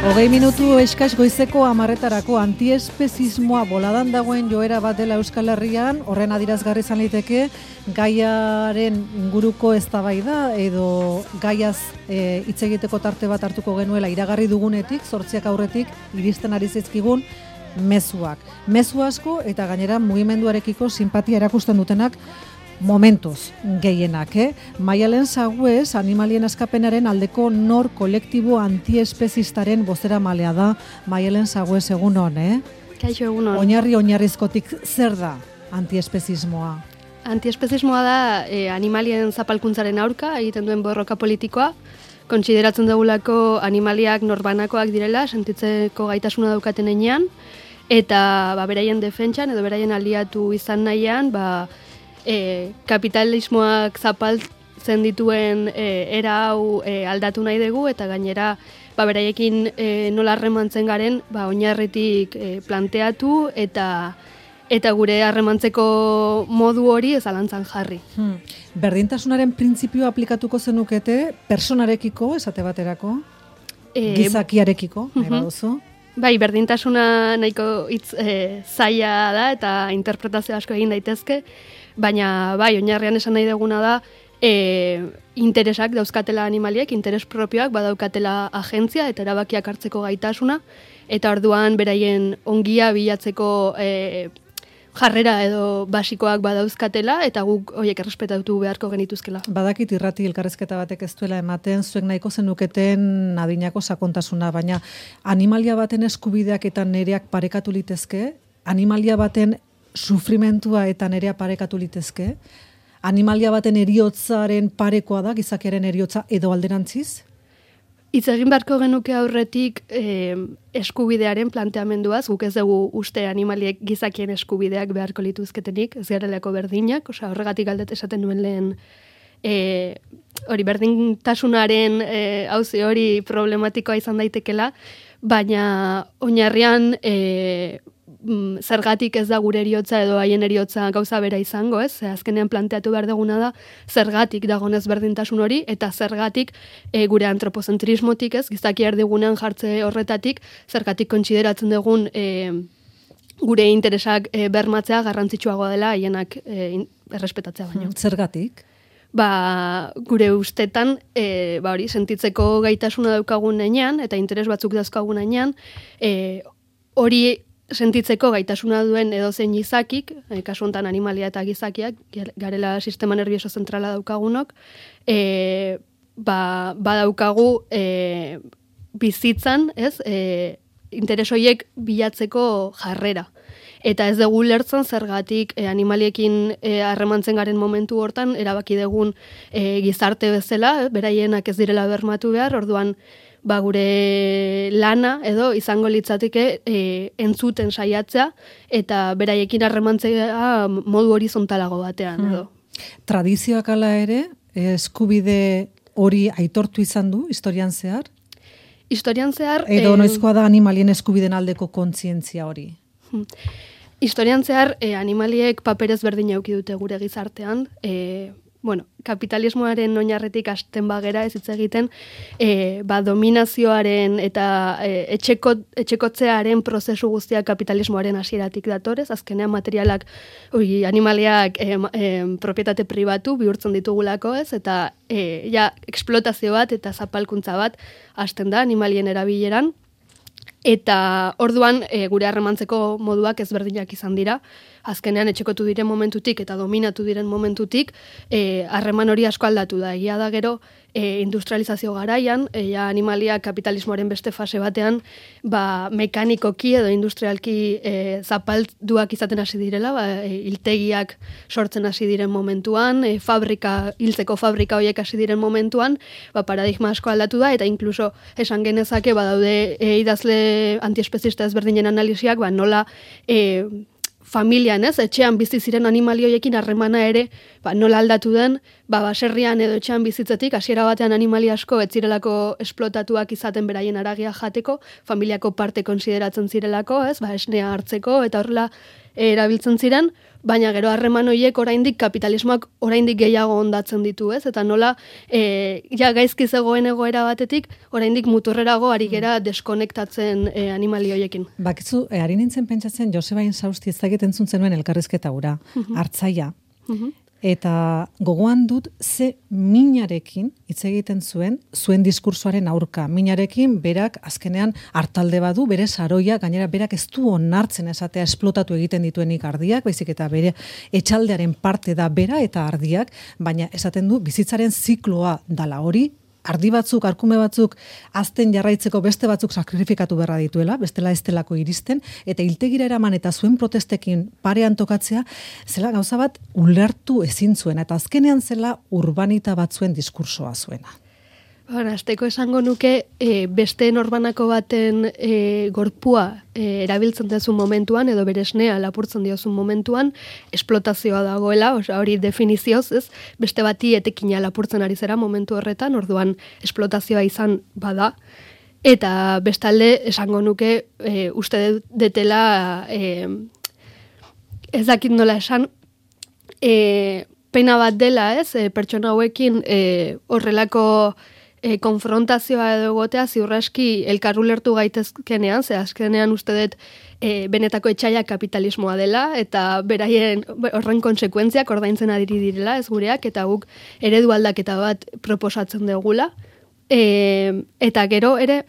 Hogei minutu eskas goizeko 10:00 antiespezismoa boladan dagoen joera bat dela Euskal Herrian, horren adirazgarri izan liteke gaiaren inguruko eztabaida edo gaiaz hitz egiteko tarte bat hartuko genuela iragarri dugunetik, 8 aurretik iristen ari zaizkigun mezuak. Mezu asko eta gainera mugimenduarekiko sinpatia erakusten dutenak momentuz gehienak, Maialen Sagüez, animalien askapenaren aldeko nor kolektibo antiespezistaren bozeramalea da. Maialen Sagüez, egunon, Kaixo, egunon. Oinarrizkotik zer da antiespezismoa? Antiespezismoa da animalien zapalkuntzaren aurka egiten duen borroka politikoa. Kontsideratzen dugulako animaliak norbanakoak direla, sentitzeko gaitasuna daukaten heinean, eta beraien defentsan edo beraien aliatu izan nahian, kapitalismoak zapaltzen dituen era hau aldatu nahi dugu, eta gainera beraiekin nola harremantzen garen oinarritik planteatu eta gure harremantzeko modu hori zalantzan jarri. Berdintasunaren printzipioa aplikatuko zenukete personarekiko, esate baterako, gizakiarekiko, nahi baduzu? Bai, berdintasuna nahiko hitz zaila da eta interpretazio asko egin daitezke, baina oinarrian esan nahi duguna da interesak dauzkatela animaliek, interes propioak badaukatela agentzia eta erabakiak hartzeko gaitasuna, eta orduan beraien ongia bilatzeko jarrera edo basikoak badauzkatela eta guk horiek errespetatu beharko genituzkela. Badakit irrati elkarrezketa batek ez duela ematen, zuek nahiko zenuketen adinako sakontasuna, baina animalia baten eskubideak eta nereak parekatu litezke, animalia baten sufrimentua eta nerea parekatu litezke, animalia baten heriotzaren parekoa da, gizakiaren heriotza edo alderantziz? Hitz egin beharko genuke aurretik eskubidearen planteamenduaz, guk ez dugu uste animaliek gizakien eskubideak beharko lituzketenik, ez garelako berdinak, horregatik aldet esaten nuen lehen hori berdintasunaren auzi hori problematikoa izan daitekela, baina oinarrian zergatik ez da gure eriotza edo haien eriotza gauza bera izango, ez? Azkenean planteatu behar duguna da zergatik dagonez berdintasun hori eta zergatik gure antropozentrismotik, ez? Gizaki erdigunean jartze horretatik, zergatik kontsideratzen dugun gure interesak bermatzea garrantzitsuagoa dela haienak errespetatzea baino. Zergatik? Gure ustetan, hori, sentitzeko gaitasuna daukagun heinean eta interes batzuk dauzkagun heinean, hori sentitzeko gaitasuna duen edozein gizakik, kasu honetan animalia eta gizakiak, garela sistema nervioso zentrala daukagunok, badaukagu bizitzan, ez, interes horiek bilatzeko jarrera. Eta ez dugu lertzen zergatik animaliekin harremantzen garen momentu hortan, erabaki dugun gizarte bezala, beraienak ez direla bermatu behar, orduan gure lana edo izango litzateke entzuten saiatzea eta beraiekin harremantzea modu horizontalago batean edo. Tradizioak ala ere, eskubide hori aitortu izan du historian zehar? Historian zehar... Edo noizkoa da animalien eskubiden aldeko kontzientzia hori? Historian zehar animaliek paperez berdin eduki dute gure gizartean, kapitalismoaren oinarretik hasten bagera ez hitz egiten, dominazioaren eta etxekotzearen prozesu guztiak kapitalismoaren hasieratik datorez, azkenean materialak, animaliak propietate pribatu bihurtzen ditugulako, ez, eta eksplotazio bat eta zapalkuntza bat hasten da animalien erabileran. Eta orduan gure harremantzeko moduak ezberdinak izan dira. Azkenean etxekotu diren momentutik eta dominatu diren momentutik harreman hori asko aldatu da. Egia da gero industrializazio garaian, animalia kapitalismoaren beste fase batean, mekanikoki edo industrialki zapalduak izaten hasi direla, hiltegiak sortzen hasi diren momentuan, hiltzeko fabrika horiek hasi diren momentuan, paradigma asko aldatu da, eta inkluso esan genezake badaude idazle antiespezista ezberdinen analisiak, nola familian, ez, etxean bizi ziren animalioiekin harremana ere, nola aldatu den, baserrian edo etxean bizitzetik, hasiera batean animali asko ez zirelako esplotatuak izaten beraien haragia jateko, familiako parte konsideratzen zirelako, ez, esnea hartzeko, eta horrela erabiltzen ziren, baina gero harreman horiek oraindik kapitalismoak oraindik gehiago ondatzen ditu, ez? Eta nola gaizki zegoen egoera batetik oraindik muturrerago ari gera deskonektatzen animali horiekin. Bakizu, ari nintzen pentsatzen Joseba Insausti ez dakit entzun zenuen elkarrizketa hura, hartzaia. Eta gogoan dut ze minarekin hitz egiten zuen diskursoaren aurka. Minarekin berak azkenean hartalde badu, bere saroia, gainera berak ez du onartzen esatea esplotatu egiten dituenik ardiak, baizik eta bere etxaldearen parte da bera eta ardiak, baina esaten du bizitzaren zikloa dala hori, ardi batzuk, arkume batzuk, azten jarraitzeko beste batzuk sakrifikatu beharra dituela, bestela ez delako iristen, eta hiltegira eraman eta zuen protestekin parean tokatzea, zela gauza bat ulertu ezin zuena, eta azkenean zela urbanita batzuen diskursoa zuena. Azteko esango nuke beste norbanako baten gorpua erabiltzen duzun momentuan, edo beresnea lapurtzen diozun momentuan, esplotazioa dagoela, hori definizioz, ez? Beste bati etekina lapurtzen ari zera momentu horretan, orduan esplotazioa izan bada. Eta bestalde esango nuke uste detela ez dakit nola esan, pena bat dela, ez? Pertsona hauekin horrelako konfrontazioa edo egotea ziurraski elkar ulertu gaitezkenean, ze azkenean uste dut benetako etxaia kapitalismoa dela, eta beraien horren konsekuentziak ordaintzen adiri direla, ez gureak, eta guk eredu aldaketa bat proposatzen dugula. Eta gero ere,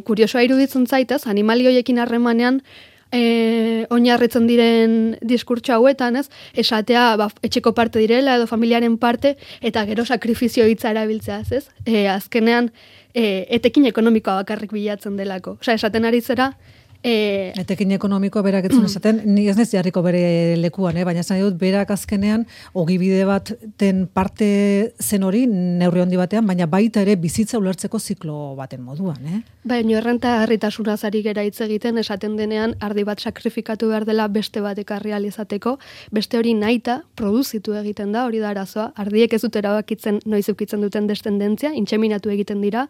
kuriosoa iruditzen zaitez, animali horiekin harremanean, oinarritzen diren diskurtso hauetan, ez? Esatea etxeko parte direla edo familiaren parte, eta gero sakrifizio hitza erabiltzea, ez? Azkenean etekin ekonomikoa bakarrik bilatzen delako. Osea, esaten ari zera etekin ekonomikoa berak etzun esaten, ni ez nez jarriko bere lekuan, baina esan dut berak azkenean ogibide baten parte zen hori neurri handi batean, baina baita ere bizitza ulertzeko ziklo baten moduan, Baina errenta harritasunaz ari gera hitz egiten, esaten denean ardi bat sakrifikatu behar dela beste bat ekarri ahal izateko, beste hori nahita produzitu egiten da, hori da arazoa, ardiek ez dut erabakitzen noiz eukitzen duten destendentzia, intseminatu egiten dira,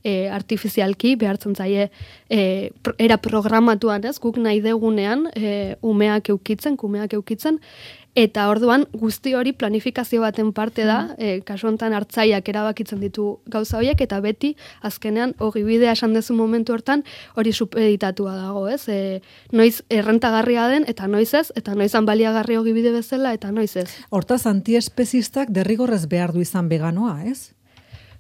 artifizialki behartzen zaie era programatuan, ez, guk nahi degunean kumeak eukitzen, eta orduan guzti hori planifikazio baten parte da, kasu honetan hartzaiak erabakitzen ditu gauza horiek, eta beti azkenean ogibidea esan dezu momentu hortan hori supeditatua dago, ez? Noiz errentagarria den, eta noiz ez, eta noizan baliagarri ogibide bezala, eta noiz ez. Hortaz, antiespezistak derrigorrez behar du izan veganoa, ez?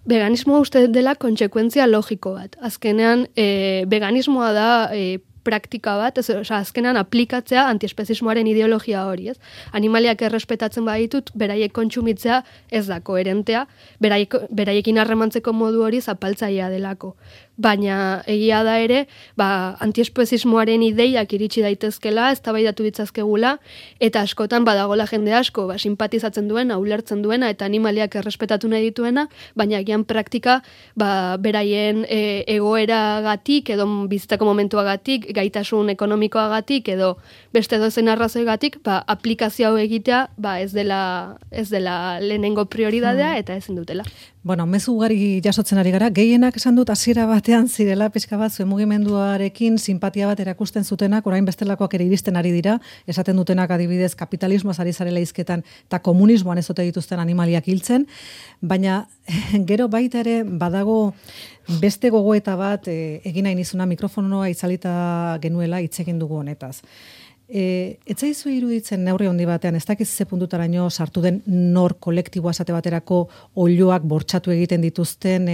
Veganismoa uste dela kontsekuentzia logiko bat. Azkenean, veganismoa da praktika bat, azkenean aplikatzea antiespezismoaren ideologia hori, ez? Animaliak errespetatzen baditut, beraiek kontsumitzea ez da koherentea, beraiekin harremantzeko modu hori zapaltzailea delako. Baina egia da ere, antiespezismoaren ideiak iritsi daitezkela, eztabaidatu ditzazkegula, eta askotan badagola jende asko, simpatizatzen duena, ulertzen duena, eta animaliak errespetatu nahi dituena, baina agian praktika beraien egoeragatik, edo bizitzako momentuagatik, gaitasun ekonomikoagatik, edo beste dozen arrazoigatik, aplikazio hau egitea ez dela lehenengo prioridadea, eta ezin dutela. Bueno, mezu ugari jasotzen ari gara, gehienak esan dut hasiera batean zirela pixka bat zuen mugimenduarekin simpatia bat erakusten zutenak, orain bestelakoak ere iristen ari dira, esaten dutenak adibidez kapitalismoaz ari zarela hizketan eta komunismoan ez ote dituzten animaliak hiltzen, baina gero baita ere badago beste gogoeta bat egin nahi nizuna mikrofonoa itzalita genuela hitz egin dugu honetaz. Etzaizu iruditzen neurri handi batean, ez dakiz ze puntutaraino sartu den nor kolektiboa esate baterako oiloak bortxatu egiten dituzten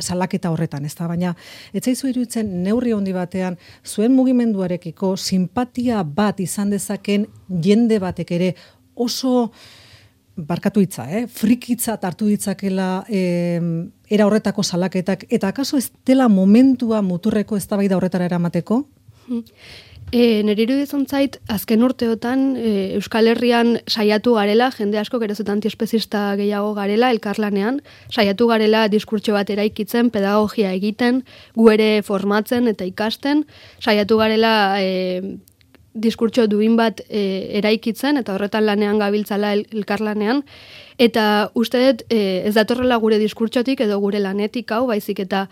salaketa horretan, ez da? Baina etzaizu iruditzen neurri handi batean zuen mugimenduarekiko simpatia bat izan dezaken jende batek ere oso barkatu hitza, frikitzat hartu ditzakela era horretako salaketak, eta akaso ez dela momentua muturreko eztabaida horretara eramateko? Nire iruditzen zait, azken urteotan Euskal Herrian saiatu garela, jende asko geroz antiespezista gehiago garela, elkarlanean, saiatu garela diskurtso bat eraikitzen, pedagogia egiten, gu ere formatzen eta ikasten, saiatu garela diskurtso duin bat eraikitzen, eta horretan lanean gabiltzala elkarlanean, eta uste dut ez datorrela gure diskurtsotik edo gure lanetik hau, baizik eta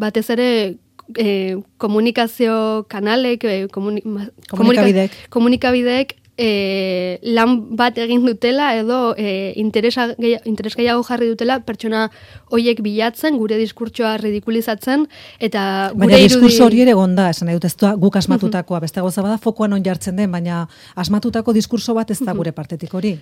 batez ere komunikazio kanalek, komunikabideek lan bat egin dutela edo interes gehiago jarri dutela pertsona hoiek bilatzen, gure diskurtsoa ridikulizatzen eta gure baina diskurso hori ere gonda, esan nahi dut, ez da guk asmatutakoa, beste gauza bada fokoan on jartzen den, baina asmatutako diskurso bat ez da gure partetik hori.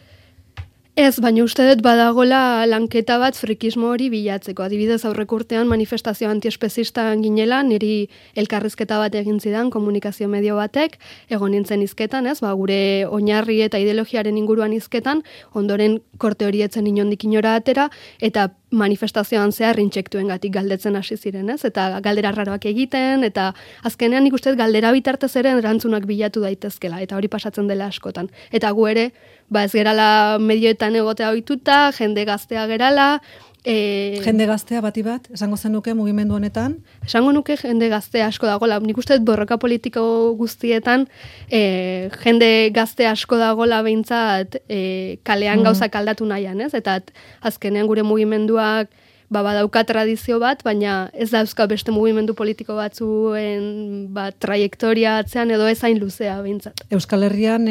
Ez, baina uste dut badagola lanketa bat frikismo hori bilatzeko. Adibidez, aurreko urtean manifestazio antiespezista ginela, niri elkarrizketa bat egin zidan komunikazio medio batek, egon nintzen hizketan, ez? Gure oinarri eta ideologiaren inguruan hizketan, ondoren korte hori etzen inondik inora atera, eta manifestazioan zehar intsektuengatik galdetzen hasi ziren, ez? Eta galdera raroak egiten, eta azkenean nik uste dut galdera bitartez ere erantzunak bilatu daitezkela, eta hori pasatzen dela askotan. Eta gu ere, ez gerala medioetan egotea ohituta, jende gaztea gerala. Jende gaztea bati bat, esango zenuke mugimendu honetan? Esango nuke jende gaztea asko dagola. Nik uste dut borroka politiko guztietan jende gazte asko dagola behintzat kalean gauzak aldatu nahian, ez? Eta azkenean gure mugimenduak badauka tradizio bat, baina ez dauzka beste mugimendu politiko batzuen trajektoria atzean edo ez hain luzea behintzat. Euskal Herrian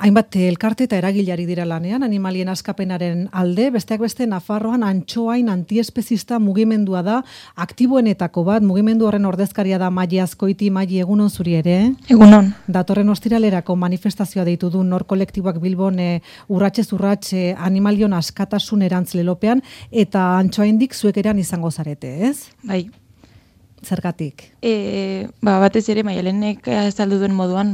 hainbat elkarte eta eragilari dira lanean, animalien askapenaren alde, besteak beste Nafarroan antxoain antiespezista mugimendua da, aktiboenetako bat, mugimendu horren ordezkaria da Maili Azkoiti. Maili, egunon zuri ere? Egunon. Datorren ostiralerako manifestazioa deitu du Nor kolektiboak Bilbon urratsez urratxe animalion askatasun erantzilelopean, eta antxoain indik zuek eran izango zarete, ez? Bai. Zergatik? Batez ere, Maialenek azaldu duen moduan,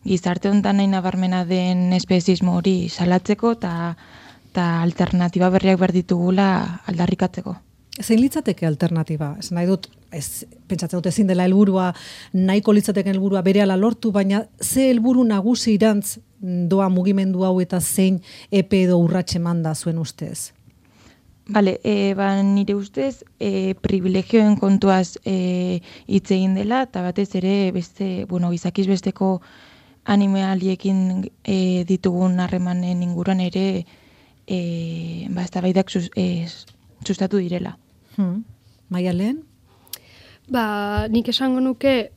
gizarte honetan nahi nabarmena den espezismo hori salatzeko eta alternatiba berriak behar ditugula aldarrikatzeko. Zein litzateke alternatiba? Ez nahi dut, pentsatzen dut ezin dela helburua, nahiko litzateke helburua berehala lortu, baina ze helburu nagusi irantz doa mugimendu hau eta zein epe edo urratxe manda zuen ustez? Bale, nire ustez, privilegioen kontuaz hitz egin dela, eta batez ere gizakiz besteko animaliekin ditugun harremanen inguruan ere eztabaidak sustatu direla. Maialen? Nik esango nuke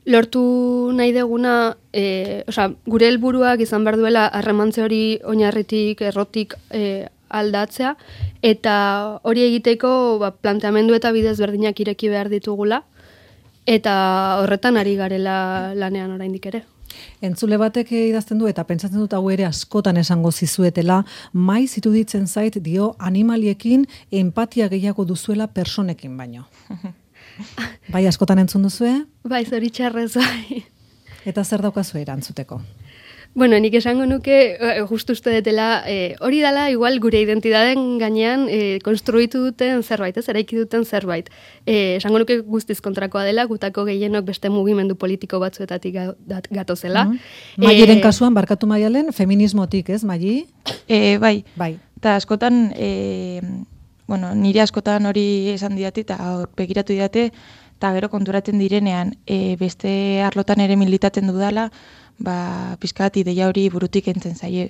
lortu nahi deguna, gure helburuak izan behar duela harremantze hori oinarritik, errotik aldatzea, eta hori egiteko planteamendu eta bidez berdinak ireki behar ditugula, eta horretan ari garela lanean oraindik ere. Entzule batek idazten du eta pentsatzen dut hau ere askotan esango zizuetela, maiz iruditzen zait dio animaliekin empatia gehiago duzuela personekin baino. Bai, askotan entzun duzue? Bai, zoritxarrez, bai. Eta zer daukazu erantzuteko? Bueno, nik esango nuke, justu uste detela, hori dela igual gure identidaden gainean konstruitu duten zerbait, eraiki duten zerbait. Esango nuke guztiz kontrakoa dela, gutako gehienok beste mugimendu politiko batzuetatik gatozela. Mailen kasuan, barkatu Maialen, feminismotik, ez, Maili? Bai. Eta askotan... nire askotan hori esan didate eta begiratu didate, eta gero konturatzen direnean beste arlotan ere militatzen dudala, pizkat ideia hori burutik entzen zaie.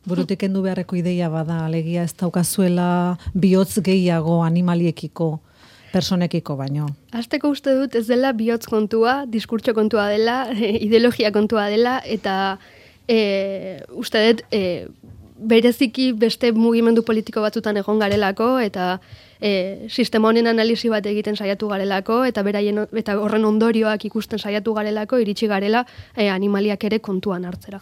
Burutik endu beharreko ideia bada, alegia ez daukazuela bihotz gehiago animaliekiko, personekiko baino. Hasteko uste dut ez dela bihotz kontua, diskurtso kontua dela, ideologia kontua dela, eta uste dut bereziki beste mugimendu politiko batzutan egon garelako, eta sistema honen analisi bat egiten saiatu garelako, eta horren ondorioak ikusten saiatu garelako, iritsi garela animaliak ere kontuan hartzera.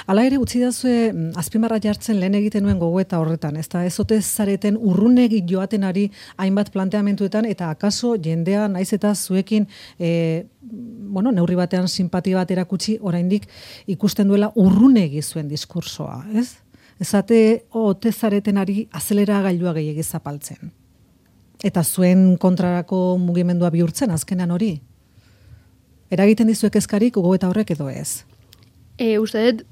Hala ere, utzi dazue, azpimarra jartzen lehen egiten nuen gogoeta horretan, ez ote zareten urrunegi joaten ari hainbat planteamentuetan, eta akaso jendea naiz eta zuekin neurri batean sinpatia bat erakutsi, oraindik ikusten duela urrunegi zuen diskursoa, ez? Ezate, ote zareten ari azeleragailua gehiegi zapaltzen. Eta zuen kontrarako mugimendua bihurtzen azkenan hori. Eragiten dizuek eskarik gogoeta horrek edo ez? Uste dut,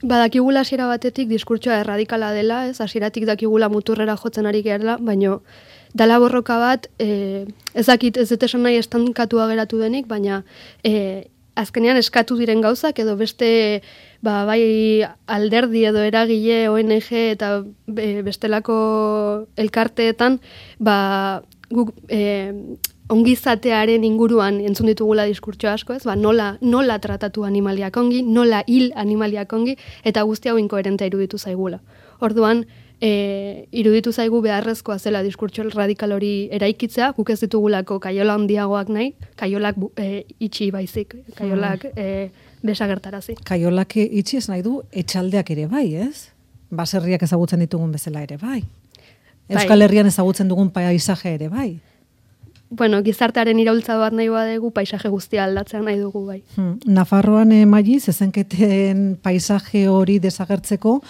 badakigula hasiera batetik diskurtsoa erradikala dela, ez hasieratik dakigula muturrera jotzen ari gerla, baino dala borroka bat, ez dakit ez dut esan nahi estankatua geratu denik, baina azkenean eskatu diren gauzak edo beste bai alderdi edo eragile ONG eta bestelako elkarteetan guk ongizatearen inguruan entzun ditugula diskurtso asko, ez? Nola tratatu animaliak ongi, nola hil animaliak ongi, eta guzti hau inkoherentea iruditu zaigula. Orduan, iruditu zaigu beharrezkoa zela diskurtso radikal hori eraikitzea, guk ez ditugulako kaiola handiagoak nahi, kaiolak itxi baizik, kaiolak desagertarazi. Kaiolak itxi ez nahi du etxaldeak ere bai, ez? Baserriak ezagutzen ditugun bezala ere bai. Euskal Herrian ezagutzen dugun paisaje ere bai. Bueno, gizartearen iraultza bat nahi badegu, paisaje guztia aldatzea nahi dugu bai. Nafarroan Maiz, zezenketen paisaje hori desagertzeko,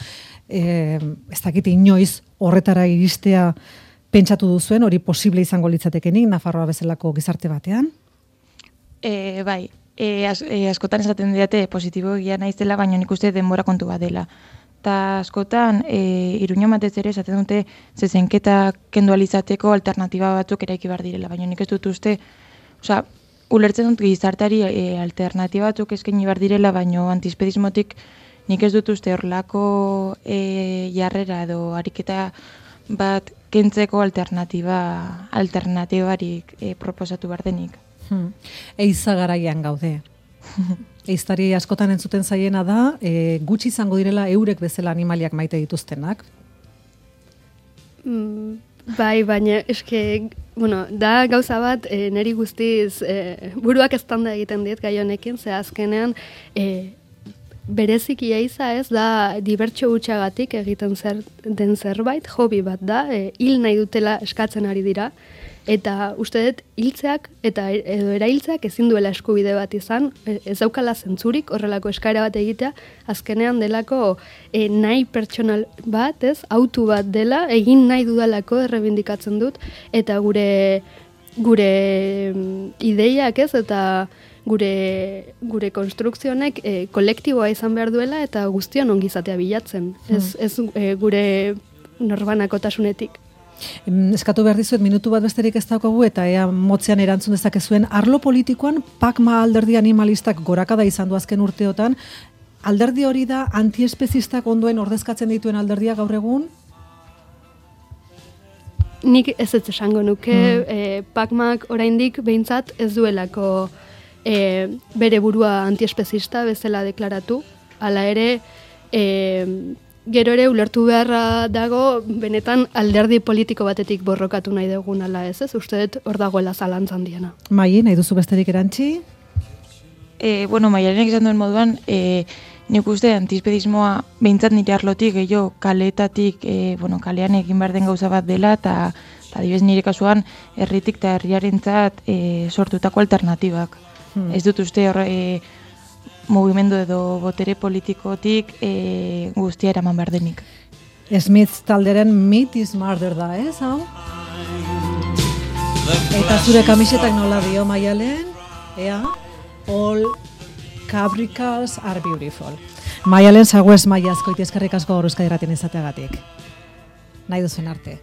ez dakit inoiz horretara iristea pentsatu duzuen, hori posible izango litzatekenik Nafarroa bezalako gizarte batean? Bai, askotan esaten didate positibo egia naizela, baina nik uste denbora kontu bat dela. Eta askotan, Iruña batez ere esaten dute zezenketa kendu alizateko alternatiba batzuk eraiki behar direla, baina nik ez dut uste, ulertzen dut gizarteari alternatiba batzuk eskaini behar direla, baina antispedismotik nik ez dut uste horrelako jarrera edo ariketa bat kentzeko alternatibarik proposatu behar denik. Eiza garaian gaude. Eiztari askotan entzuten zaiena da, gutxi izango direla eurek bezala animaliak maite dituztenak. Bai, baina eske, da gauza bat, niri guztiz buruak eztanda egiten dit gai honekin, ze azkenean bereziki eiza ez da dibertsio hutxagatik egiten den zerbait, hobi bat da, hil nahi dutela eskatzen ari dira, eta uste dut hiltzeak edo erailtzeak ezin duela eskubide bat izan, ez daukala zentzurik horrelako eskaera bat egitea, azkenean delako nahi pertsonal bat, ez, autu bat dela, egin nahi dudalako errebindikatzen dut, eta gure ideiak ez, eta gure konstrukzionek kolektiboa izan behar duela, eta guztion ongizatea bilatzen, ez gure norbanakotasunetik. Eskatu behar dizuet, minutu bat besterik ez daukagu eta ea motzean erantzun dezakezuen. Arlo politikoan, PACMA alderdi animalistak gorakada izan du azken urteotan. Alderdi hori da antiespezistak ondoen ordezkatzen dituen alderdia gaur egun? Nik ez esango nuke, PACMak oraindik behintzat ez duelako bere burua antiespezista bezala deklaratu. Hala ere, gero ere ulertu beharra dago benetan alderdi politiko batetik borrokatu nahi dugun ala ez, uste dut hor dagoela zalantzan diena. Mai, nahi duzu besterik erantzi? Maiarenek izan duen moduan, nik uste antispedismoa behintzat nire arlotik, kaleetatik, kalean egin behar den gauza bat dela, eta adibidez nire kasuan herritik eta herriarentzat sortutako alternatibak. Ez dut uste mugimendu edo botere politikotik guztia eraman behar denik. Smith talderen Meat is Murder da, ez, hau? Eta zure kamisetak nola dio, Maialen? All cabricals are beautiful. Maialen Sagüez Maia, azkoiti eskerrik asko gaur Euskadi Irratian izateagatik. Nahi duzuen arte.